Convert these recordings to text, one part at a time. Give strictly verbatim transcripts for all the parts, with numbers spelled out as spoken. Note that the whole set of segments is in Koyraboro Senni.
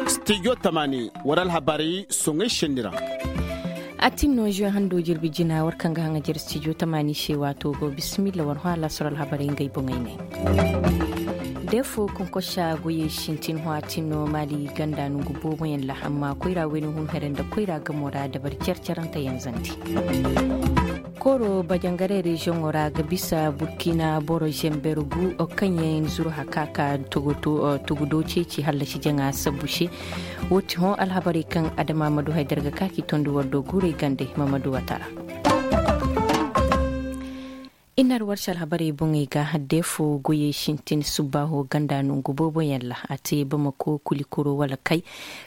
Stijo tamani war alhabarey soŋay senni ra. A tin no zuwe hando jirbi jina war kaŋ ga haŋa jere stijo tamani se waato go bisimilla war hõ alaasar alhabarey ngey boŋey ne. Defo konkosa goyey sintin hõ a tin no maali ganda nongu booboyaŋ ra amma koyra wayna hun here nda koyra gamo ra dabari care carante yanzandi. Kooro bajangaray reziyoŋo ra ga bisa burkina boro zember gu kaŋ yaŋ zuru haka ka tugudo ceeci hallasi jaŋa sabbu se. Wo ti hõ alhabarey kaŋ adama ma du haydar ga ka k'i tondi war do guurey gande ma ma du wata ra. I na ar warsi alhabarey boŋey ga deefo goyey sintin subbaaho ganda nongu booboyaŋ ra a te bamako kulikuro wala kay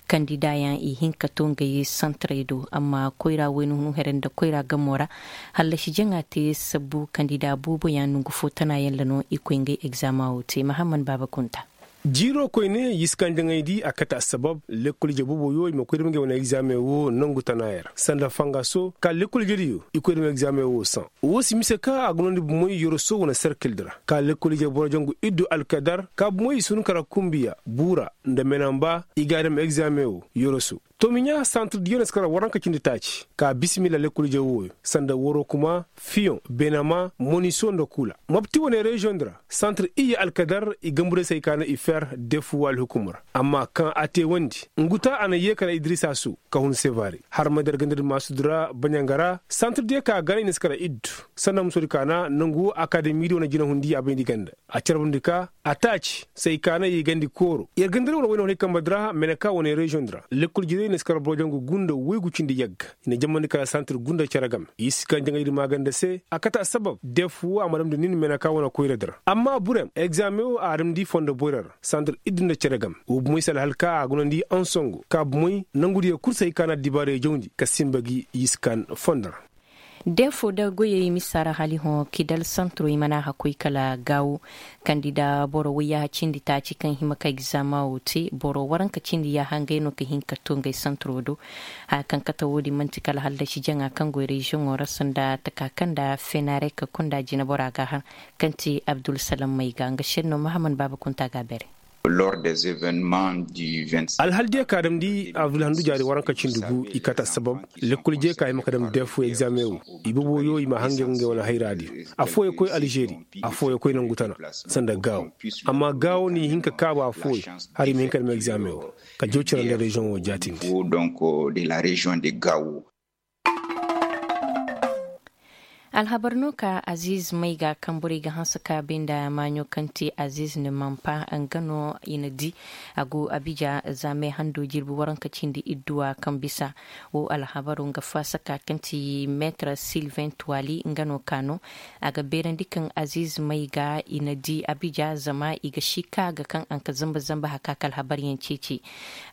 kandidaayaŋ i hin ka to ngey santarey do amma koyra wayna hunu here nda koyra gamo ra. Hallasi jaŋa te sabbu kandidaa booboyaŋ nongu fo tanaayaŋ ra no i koy ngey egzaamaa wo te mahamman baaba kunta. Jiiro koyne yiskanjaŋey di a kate assabab lekkol ije booboyo i ma koy dam ngey wane egzaameŋ wo nangu tanaayaŋ ra sanda fangaso ka lekkol ije diyo i koy dam egzaameŋ wo saŋ. Wo si mise ka a ga noondi bumoy yoroso wane serkil di ra ka lekkol ije boro jangu iddu alkadar ka bumoy i si hun kara kumbiya buura nda menamba i ga a dam egzaameŋ wo yoroso. Tomiɲa santir diyo na si kara waranka cindi taaci ka bisimilla lekkol ije wooyo sanda woro kuma fiyoŋ benama moniso nda kula mapti wane reziyoŋ di ra. Santir iyye alkadar i gamburay se ay kaana i fer defuwa alhukum ra amma kaŋ a te wandi nguta a na yee kara idrisa su ka hun sevare harmay dar ganda di maasu di ra baɲanga ra santir diyo ka ganay na si kara iddu sanda muso di kaana nangu wo akademi di wane jinahundi a bayndi ganda a carbandi ka a taaci se ay kaana i gandi kooro yer ganda di wane wayne hunay kambe di ra meneka wane reziyoŋ di ra lekkol jirey na si kara boro jangu gunda woygu cindi yagga i na jamandi kala santir gunda cere game i si kaŋ jaŋay di maaganda se a kate assabab defuwa a ma damndi nin meneka wane koyra di ra amma burem egzaameŋ wo a damndi fondo boyra ra santir iddu nda cere game wo bumoy si alhal ka a gunandi ansongo ka bumoy nangu diyo kul se ay kaana dibaarey jawndi ka sinba gi i si kaŋ fondo ra. Deefo da goyey misa ra hali hõ kidal santuro i mana hakoy kala gaawo kandida boro woy yaaha cindi taaci kaŋ hima ka egzama wo te boro waranka cindi yaaha ngey no ka hin ka to ngey santuro do. Haya kaŋ kate wo-din man'ti kala hallasi jaŋa kaŋ goy reziyoŋo ra sanda taka kaŋ nda fenarek kunda jinabora ga a har kaŋ ti abdulsalam mayga nga senno mahaman baaba kunta ga a bere. Alhal diya ka damndi abdul handu jaari waranka cindi gu i kate assabab lekkol je ka hima ka dam defu egzaameŋ wo i boboyo i ma hangay ngey wane hayra di. Afooyo koy alžeri, afooyo koy nangu tana sanda gaawo. Amma gaawo n'i hin ka kaabu afooyo hala i ma hin ka dam egzaameŋ wo ka joocira nda reziyoŋ wo jaatindi. Alhabar no ka aziz mayga kaŋ borey ga hanse ka bay nda maaɲo kaŋ ti aziz ni manpa nga no i na di. A go abija zaamey hando jirbi waranka cindi idduwa kaŋ bisa wo alhabaro nga faasaka kaŋ ti meetar silvain tuwali nga no ka no. A ga beerandi kaŋ aziz mayga i na di abija zama i ga si ka ga kaŋ a nka zamba zamba haka ka alhabaryaŋ ceeci.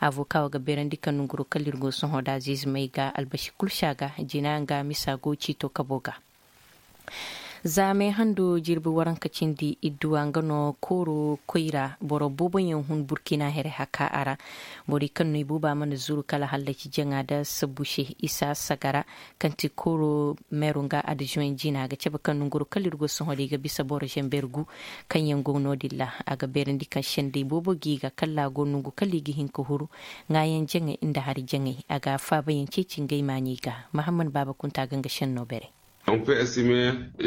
Avoka wo ga beerandi kaŋ nonguro kala ir go sohõ da aziz mayga albasi kul si a ga jina nga misa go ciito kabo ga. Zaamey hando jirbi waranka cindi idduwa nga no kooro koyra boro booboyaŋ hun burkina here haka a ra. Borey kaŋ no i booba mana zuru kala hallaci jaŋa da sabbu se isa sagara kaŋ ti kooro meero nga adzuwen jina ga cabe kaŋ nonguro kala ir go sohõ da i ga bisa boro zember gu kaŋ yaŋ go no- din ra. A ga beerandi kaŋ sendey boobo ga i ga kala a go nongu kala i ga hin ka huru ŋaayaŋ jaŋay nda hari jaŋay. A ga faabayaŋ ceeci ngey maaɲey ga mahamman baaba kunta ga nga senno bere. Yer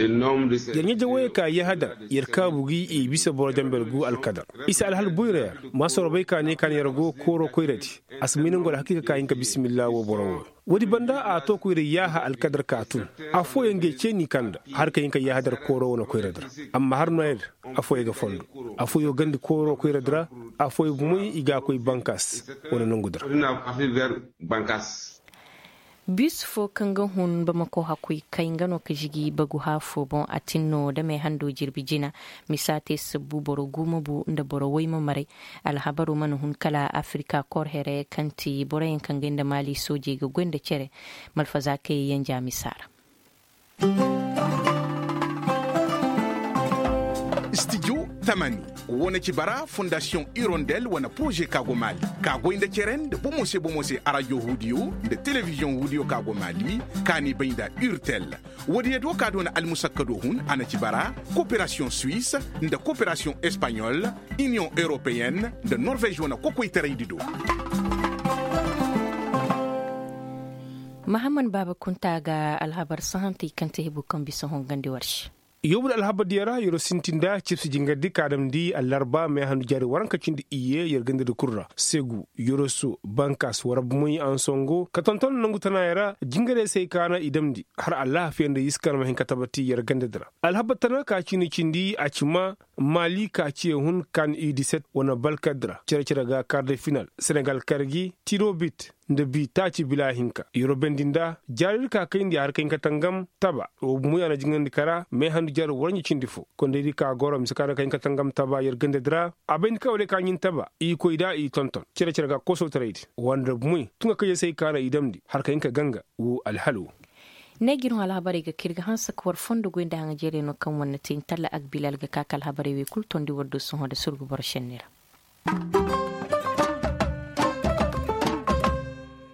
ɲa jawayey ka yahadar yer kaabu gi i bisa boro jamber gu alkadar. I si alhal boyra yer ma sorobay ka ne ka ne yer go kooro koyradi. A si may nangu alhakiika ka hin ka bisimilla wo boro wo. Woodi banda a to koyra yaaha alkadar ka tun. Afooyaŋ ngey cee n'i kanda har ka hin ka yaahadar kooro wane koyradi ra. Amma har nooya din afooyaŋ ga fondo. Afooyaŋ gandi kooro koyradi ra. Afooyaŋ bumey i ga a koy bankas wane nongu di ra. Bis fo kaŋ ga hun bamako hakoy kay nga no ka žigi bagu haafo boŋ a tin no damey hando jirbi jina. Misa te sabbu boro guuma bu nda boro woy ma maray. Alhabaro mana hun kala afirika kor here kaŋ ti boroyaŋ kaŋ ga nda maali soojey ga goy nda cere. Malfaza kayey yanja misa ra. Stijo. Tamani, wo na ci bara fondasiyoŋ irondel wane poroze ka go maali, ka goy nda cere nda bomo se bomo se arajo huudiyo nda telebiziyoŋ huudiyo ka go maali, ka n'i bay nda urtel. Woodiyo do ka doona almusakkado hun a na ci bara, koperasiyoŋ suwis, nda koperasiyoŋ espaɲol, iniyoŋ europeyen, nda norvez wane kokoytaraydi do. Mahammad baaba kunta ga alhabar sahantey kaŋ te hebu kaŋ bisa hongandi war se. Yoobu nda alhabar diya ra yeroo sintin nda cibsi jingardi ka damndi allarba meehandu jaari waranka cindi iyye yer gandadi kul ra segu, yoroso, bankas war abumay ansongo ka tonton nongu tanaayey ra. Jingarey se ay kaana i damndi har alhafiya nda yiskaŋ ma hin ka tabati yer gandadi ra. Alhabar tana ka ciini cindi a ci ma maali ka ciye hun kan i diset wane balkadi ra cere-cere ga kar de final senegal kar gi tiro bit nda bi taaci bila hinka yeroo bendi nda jaaridi ka kayndi har ka hin ka tangam taba. Wo bumo ya na jingandi kara meehandu jaari waranja cindi fo kondaydi ka goro mise ka na ka hin ka tangam taba yer gandadi ra. A bayndi ka wo day ka ɲin taba i koy da i tonton cere-cere ga kosotaraydi wande bumoy tun ga kayey se ay kaana i damndi har ka hin ka ganga wo alhal wo. Ne ga ir hõ alhabarey ga ka ir ga hanse ka war fondo goy nda haŋajeerey no kaŋ war na te intalla agbilal ga ka ka alhabarey wey kul tondi war do sohõ nda surgu boro šenni ra.